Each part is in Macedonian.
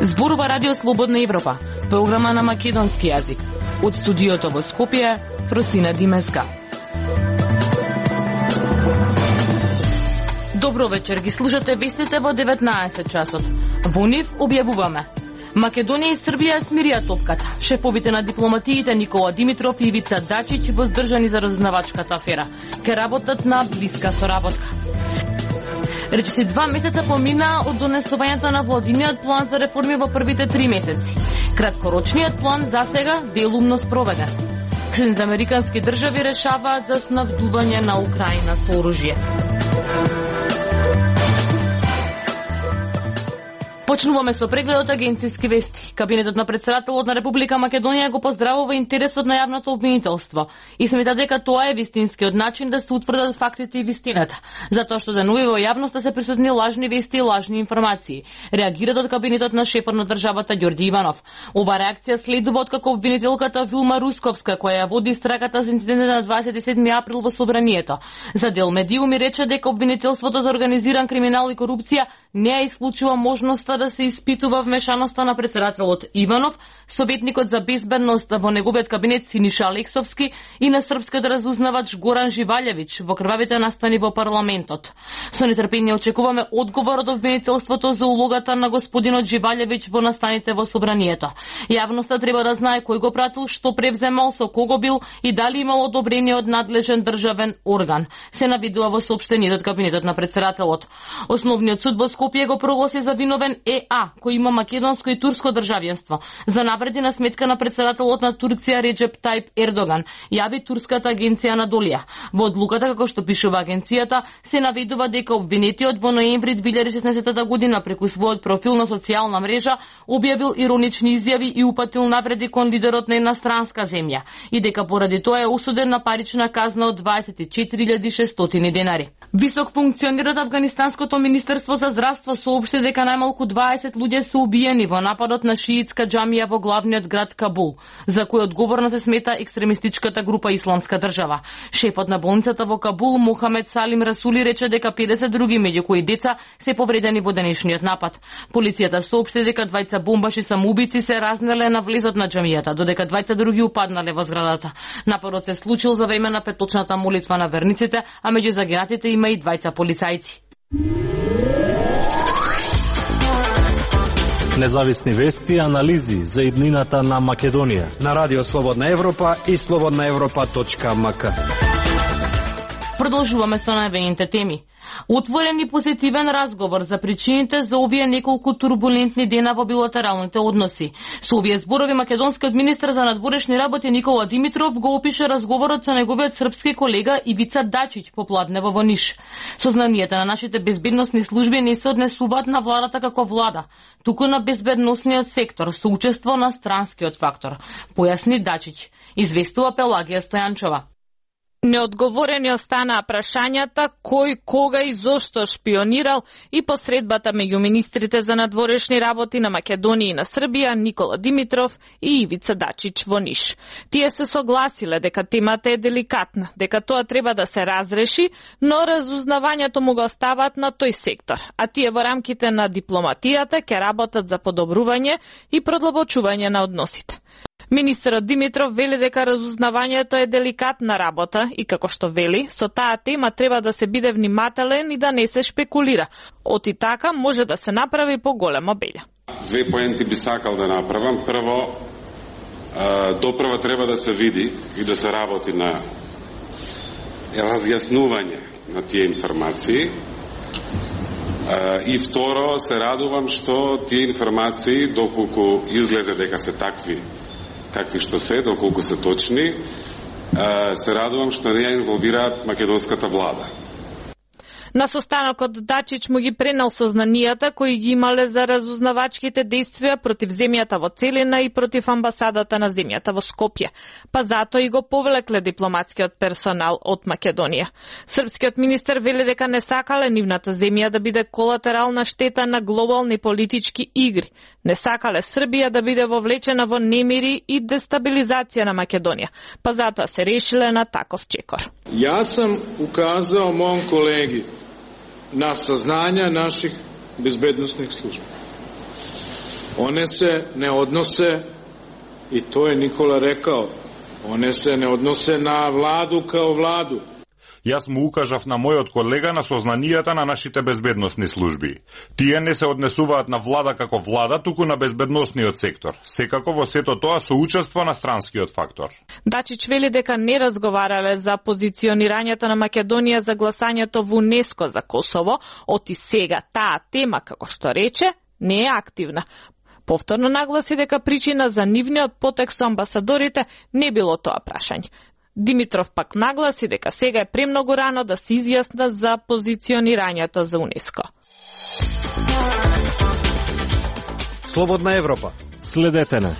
Зборува Радио Слободна Европа, програма на македонски јазик. Од студиото во Скопје, Росина Димеска. Добро вечер, ги слушате вестите во 19 часот. Во нив објавуваме: Македонија и Србија смирија топката. Шефовите на дипломатиите Никола Димитров и Ивица Дачич воздржани за разузнавачката афера. Ке работат на блиска соработка. Речиси 2 месеца помина од донесувањето на владиниот план за реформи во првите 3 месеци. Краткорочниот план засега делумно спроведен. Съединените американски држави решаваат за снабдување на Украина со оружје. Почнуваме со прегледот агенцијски вести. Кабинетот на претседателот на Република Македонија го поздравува интересот на јавното обвинителство и смета дека тоа е вистинскиот начин да се утврдат фактите и вистината, затоа што денуви во јавноста се присутни лажни вести и лажни информации. Реагираат од кабинетот на шефот на државата Ѓорѓи Иванов. Ова реакција следува откако обвинителката Вилма Русковска, која ја води истрагата за инцидентот на 27 април во Собранието, за Дел Медиуми рече дека обвинителството за организиран криминал и корупција не ја исклучува можноста да се испитува вмешаноста на претседателот Иванов, советникот за безбедност во неговиот кабинет Синиша Алексовски и на српскиот разузнавач Горан Живалјевич во крвавите настани во парламентот. Со нетрпение очекуваме одговор од обвинителството за улогата на господинот Живалјевич во настаните во Собранието. Јавноста треба да знае кој го пратил, што превземал, со кого бил и дали имал одобрение од надлежен државен орган. Се навидува во соопштението од кабинетот на претседателот. Основниот суд во Скопје го прогласи за виновен ЕА, кој има македонско и турско државјанство, за навреди на сметка на претседателот на Турција Реджеп Тајп Ердоган, јави турската агенција Анадолија. Во одлуката, како што пишува агенцијата, се наведува дека обвинетиот во ноември 2016 година преку својот профил на социјална мрежа објавил иронични изјави и упатил навреди кон лидерот на една странска земја и дека поради тоа е осуден на парична казна од 24.600 денари. Висок функционер од Афганистанското министерство за здравство соопшти дека најмалку 20 луѓе се убиени во нападот на шиитска џамија во главниот град Кабул, за кој одговорна се смета екстремистичката група Исламска држава. Шефот на болницата во Кабул Мухамед Салим Расули рече дека 50 други, меѓу кои деца, се повредени во денешниот напад. Полицијата соопшти дека двајца бомбаши самоубици се разнеле на влезот на џамијата, додека двајца други упаднале во зградата. Нападот се случил за време на петочната молитва на верниците, а меѓу загинатите има и двајца полицајци. Независни вести и анализи за иднината на Македонија на Радио Слободна Европа и slobodnaevropa.mk. Продолжуваме со најавените теми. Отворен и позитивен разговор за причините за овие неколку турбулентни дена во билатералните односи. Со овие зборови македонскиот министер за надворешни работи Никола Димитров го опише разговорот со неговиот српски колега Ивица Дачич попладнево во Ниш. Сознанието на нашите безбедносни служби не се однесуваат на владата како влада, туку на безбедносниот сектор со учество на странскиот фактор, појасни Дачич, известува Пелагија Стојанчова. Неодговорени останаа прашањата кој, кога и зошто шпионирал и посредбата меѓу министрите за надворешни работи на Македонија и на Србија Никола Димитров и Ивица Дачич во Ниш. Тие се согласиле дека темата е деликатна, дека тоа треба да се разреши, но разузнавањето му го оставаат на тој сектор, а тие во рамките на дипломатијата ќе работат за подобрување и продлабочување на односите. Министерот Димитров вели дека разузнавањето е деликатна работа и како што вели, со таа тема треба да се биде внимателен и да не се шпекулира. Оти така може да се направи поголема белја. Две поенти би сакал да направам. Прво, допрва треба да се види и да се работи на разјаснување на тие информации. И второ, се радувам што тие информации, доколку излезе дека се такви какви што се, доколку се точни, се радувам што не ја инволвираат македонската влада. На состанокот Дачич му ги пренел сознанијата кои ги имале за разузнавачките действија против земјата во целина и против амбасадата на земјата во Скопје. Па затоа и го повлекле дипломатскиот персонал од Македонија. Српскиот министер вели дека не сакале нивната земја да биде колатерална штета на глобални политички игри. Не сакале Србија да биде вовлечена во немири и дестабилизација на Македонија. Па затоа се решиле на таков чекор. Јас сам указал мојом колеги на сазнања наших безбедносних служби. One se ne odnose, i to je Nikola rekao, one se ne odnose na vladu kao vladu. Јас му укажав на мојот колега на сознанијата на нашите безбедносни служби. Тие не се однесуваат на влада како влада, туку на безбедносниот сектор. Секако во сето тоа соучества на странскиот фактор. Дачич вели дека не разговарале за позиционирањето на Македонија за гласањето во УНЕСКО за Косово, оти сега таа тема, како што рече, не е активна. Повторно нагласи дека причина за нивниот потек со амбасадорите не било тоа прашање. Димитров пак нагласи дека сега е премногу рано да се изјаснат за позиционирањето за УНЕСКО. Слободна Европа. Следете на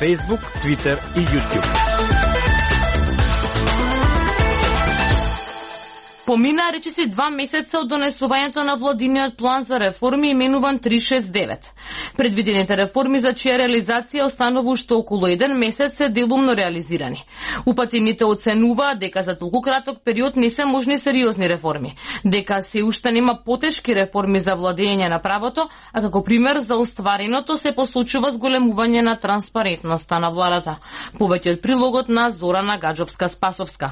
Facebook, Twitter и YouTube. Помина речиси 2 месеца од донесувањето на владиниот план за реформи именуван 369. Предвидените реформи за чија реализација останува уште околу 1 месец се делумно реализирани. Упатените оценуваат дека за толку краток период не се можни сериозни реформи, дека се уште нема потешки реформи за владење на правото, а како пример за оствареното се посочува зголемување на транспарентноста на владата. Повеќе од прилогот на Зорана Гаджовска-Спасовска.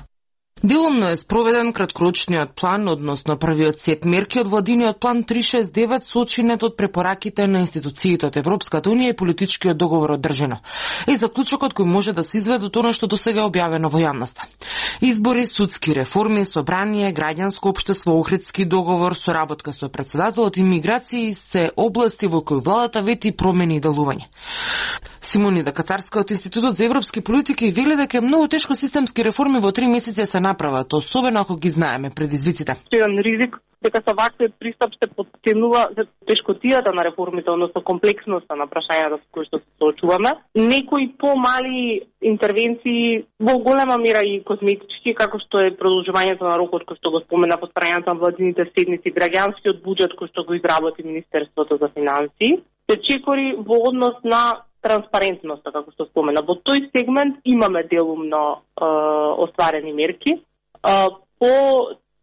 Делумно е спроведен краткорочниот план, односно првиот сет мерки од владиниот план 369 сочинет од препораките на институциите од Европската унија и политичкиот договор одржано. И заклучокот кој може да се изведе од она што досега е објавено во јавноста. Избори, судски реформи, собрание, граѓанско општество, Охридски договор, соработка со претседателот и миграции се области во кои владата вети промени и делување. Симонида Катарска од Институтот за европски политики вели дека е многу тешко системски реформи во 3 месеци се направат, особено ако ги знаеме предизвиците. Еден ризик дека со ваквиот пристап се потенува тешкотијата на реформите, односно комплексноста на прашањата со кои што се соочуваме. Некои помали интервенции во голема мера и козметички, како што е продолжувањето на рокот кој што го спомена повторувањето на владините седници, граѓанскиот буџет кој што го изработи Министерството за финансии, се чекори во однос на транспарентноста, како што спомена. Во тој сегмент имаме делумно остварени мерки. По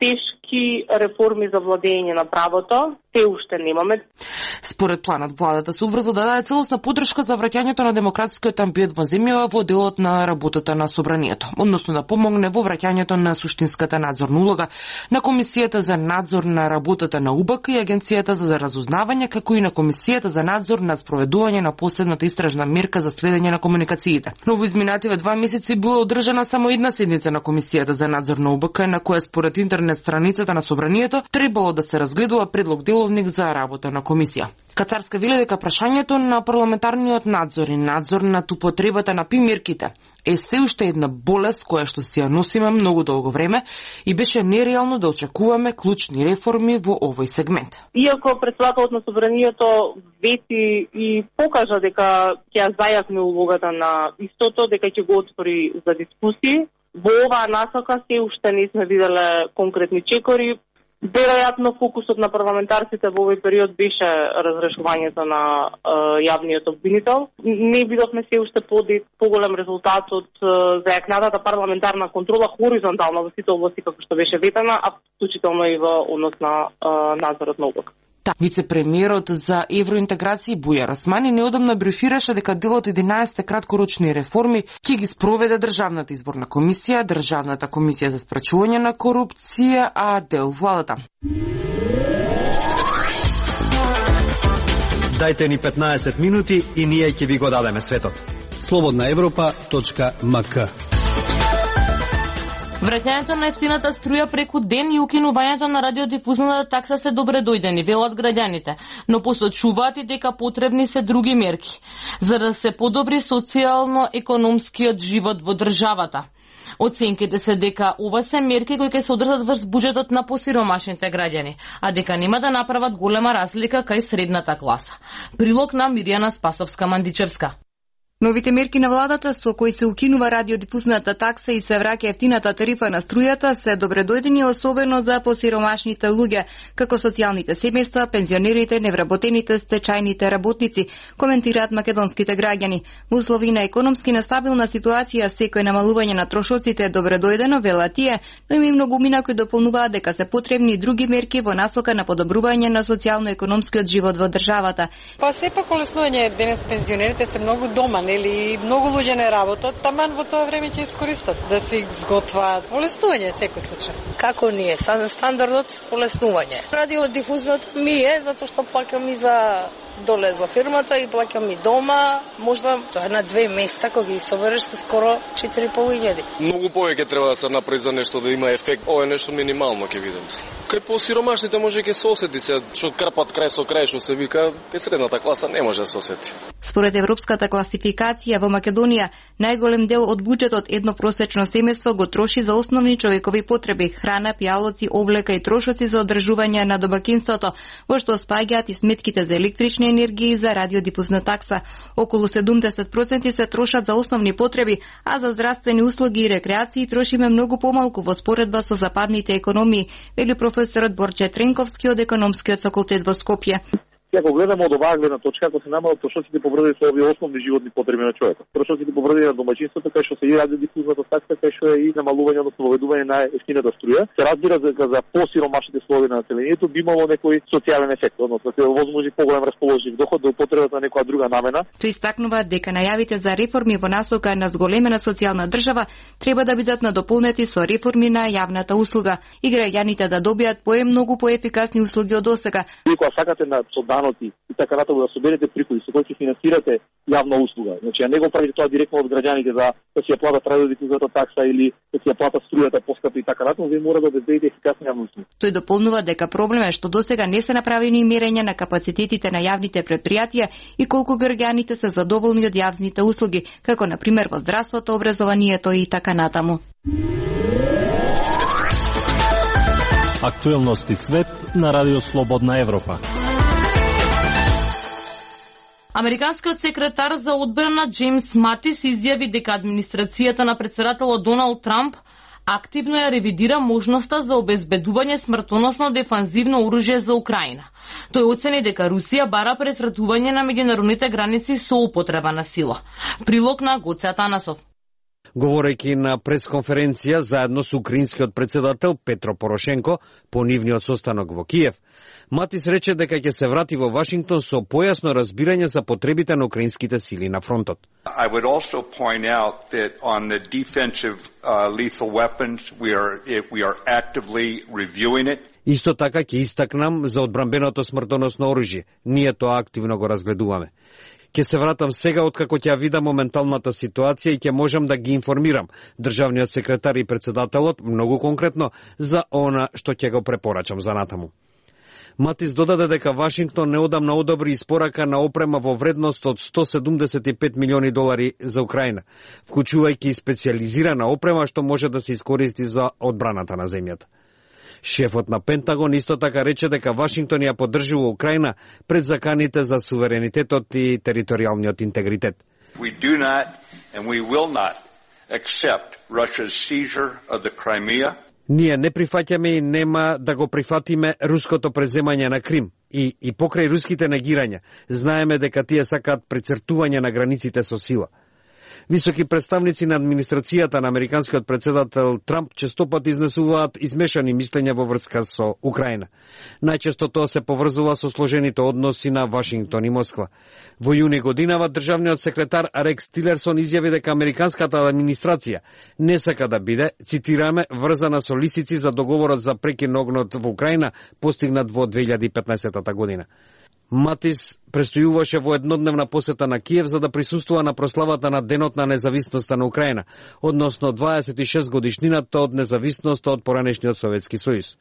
тешки реформи за владење на правото се уште немаме. Според планот, владата се уврза да даде целосна поддршка за враќањето на демократскиот амбиент во земјава во делот на работата на собранието, односно да помогне во враќањето на суштинската надзорна улога на Комисијата за надзор на работата на УБК и Агенцијата за разузнавање, како и на Комисијата за надзор над спроведување на последната истражна мерка за следење на комуникациите. Но во изминативе 2 месеци била одржана само една седница на Комисијата за надзор на УБК, на која според интернет страницата на собранието требало да се разгледува предлог деловник за работа на комисија. Кацарска вели дека прашањето на парламентарниот надзор и надзор над употребата на примерките е се уште една болест која што си ја носиме многу долго време и беше нереално да очекуваме клучни реформи во овој сегмент. Иако председателот на собранието вети и покажа дека ќе ја зајакне улогата на истото, дека ќе го отвори за дискусии, во оваа насока се уште не сме виделе конкретни чекори. Веројатно фокусот на парламентарците во овој период беше разрешувањето на јавниот обвинител. Не видовме се уште поголем резултат од зајакнатата парламентарна контрола хоризонтално во сите области како што беше ветена, а вклучително и во однос на надзорот на УБК. Вице-премиерот за евроинтеграција Бујар Османи неодамна брифираше дека дел од 11 краткорочни реформи ќе ги спроведе Државната изборна комисија, Државната комисија за спречување на корупција, а дел владата. Дајте ни 15 минути и ние ќе ви го дадеме светот. slobodnaevropa.mk. Враќањето на ефтината струја преку ден и укинувањето на радиодифузната такса се добре дојдени, велат граѓаните, но посочуваат и дека потребни се други мерки за да се подобри социјално-економскиот живот во државата. Оценките се дека ова се мерки кои ќе се одржат врз буџетот на посиромашните граѓани, а дека нема да направат голема разлика кај средната класа. Прилог на Миријана Спасовска-Мандичевска. Новите мерки на владата со кои се укинува радиодифузната такса и се враќа ефтината тарифа на струјата се добредојдени особено за посиромашните луѓе, како социјалните семејства, пензионерите, невработените, стечајните работници, коментираат македонските граѓани. Во услови на економски нестабилна ситуација секој намалување на трошоците е добредојдено, велат тие, но има и многумина кои дополнуваат дека се потребни и други мерки во насока на подобрување на социјално-економскиот живот во државата. Па сепак олеснување денес пензионерите се многу дома, нели многу луѓе не работат, таман во тоа време ќе искористат да се изготваат. Олеснување секој случај. Како ние стандардот олеснување. Радиодифузот ми е затоа што плакам и за доле за фирмата и плакам и дома, можда тоа на 2 месеца кога ги собереш се скоро 4.500. Многу повеќе треба да се направи за нешто да има ефект. Ова е нешто минимално ќе видам. Кај посиромашните може ќе се осети се, што крпат крај со крај што се вика, кај средната класа не може да се осети. Според европската класификација во Македонија, најголем дел од буџетот едно просечно семејство го троши за основни човекови потреби: храна, пијалоци, облека и трошоци за одржување на домаќинството, во што спаѓаат и сметките за електрична енергија и за радиодифузна такса. Околу 70% се трошат за основни потреби, а за здравствени услуги и рекреации трошиме многу помалку во споредба со западните економии, вели професорот Борче Тренковски од економскиот факултет во Скопје. Ако гледаме од оваа гледна точка, ако се намалат трошоците поврзани со овие основни животни потреби на човекот, трошоците поврзани на домаќинството, кај што се и радиодифузната такса, кај што е и намалување, односно воведување на ефтината струја, се разбира за посиромашните слоеви на населението би имало некој социјален ефект, односно се возможи поголем расположив доход до употребата на некоја друга намена. Тој истакнува дека најавите за реформи во насока на зголемена социјална држава треба да бидат надополнети со реформи на јавната услуга и граѓаните да добијат многу поефикасни услуги од досега. Кога сакате на и така натаму да соберете приходи со кои ќе финансирате јавна услуга. Значи, а не го правите тоа директно од граѓаните да си ја платат радиодифузната такса или да си ја платат струјата поскапи и така натаму, вие мора да обезбедите ефикасни јавни услуги. Тој дополнува дека проблем е што досега не се направени мерења на капацитетите на јавните претпријатија и колку граѓаните се задоволни од јавните услуги, како на пример во здравството, образованието и така натаму. Актуелности свет на Радио Слободна Европа. Американскиот секретар за одбрана Джеймс Матис изјави дека администрацијата на председателот Доналд Трамп активно ја ревидира можноста за обезбедување смртоносно дефанзивно оружје за Украина. Тој оцени дека Русија бара пресретување на меѓународните граници со употреба на сила. Прилог на Гоце Атанасов. Говорејќи на пресконференција заедно со украинскиот председател Петро Порошенко по нивниот состанок во Киев, Матис рече дека ќе се врати во Вашингтон со појасно разбирање за потребите на украинските сили на фронтот. I would also point out that on the defensive lethal weapons we are actively reviewing it. Исто така ќе истакнам за одбранбеното смртоносно оружје. Ние тоа активно го разгледуваме. Ќе се вратам сега откако ќе видам моменталната ситуација и ќе можам да ги информирам државниот секретар и председателот многу конкретно за она што ќе го препорачам за натаму. Матис додаде дека Вашингтон неодамна одобри испорака на опрема во вредност од $175 милиони за Украина, вклучувајќи специјализирана опрема што може да се искористи за одбраната на земјата. Шефот на Пентагон исто така рече дека Вашингтон ја поддржува Украина пред заканите за суверенитетот и територијалниот интегритет. We do not and we will not accept Russia's seizure of the Crimea. Ние не прифаќаме и нема да го прифатиме руското преземање на Крим и покрај руските негирања знаеме дека тие сакаат прецртување на границите со сила. Високи представници на администрацијата на американскиот председател Трамп честопат изнесуваат измешани мислења во врска со Украина. Најчесто тоа се поврзува со сложените односи на Вашингтон и Москва. Во јуни годинава државниот секретар Рекс Тилерсон изјави дека американската администрација не сака да биде, цитираме, врзана со лисици за договорот за прекин на огнот во Украина постигнат во 2015 година. Матис престојуваше во еднодневна посета на Киев за да присуствува на прославата на Денот на независноста на Украина, односно 26 годишнината од независноста од поранешниот Советски сојуз.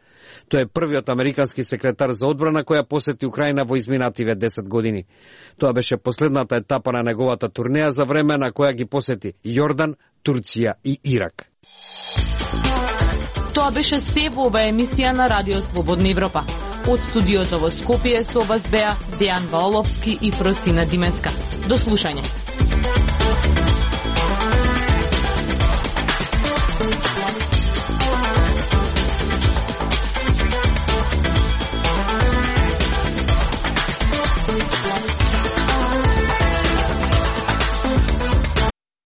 Тој е првиот американски секретар за одбрана која посети Украина во изминативе 10 години. Тоа беше последната етапа на неговата турнеја за време на која ги посети Јордан, Турција и Ирак. Тоа беше се во оваа емисија на Радио Слободна Европа. Од студиото во Скопје со вас беа Дејан Ваоловски и Фростина Димеска. До слушање.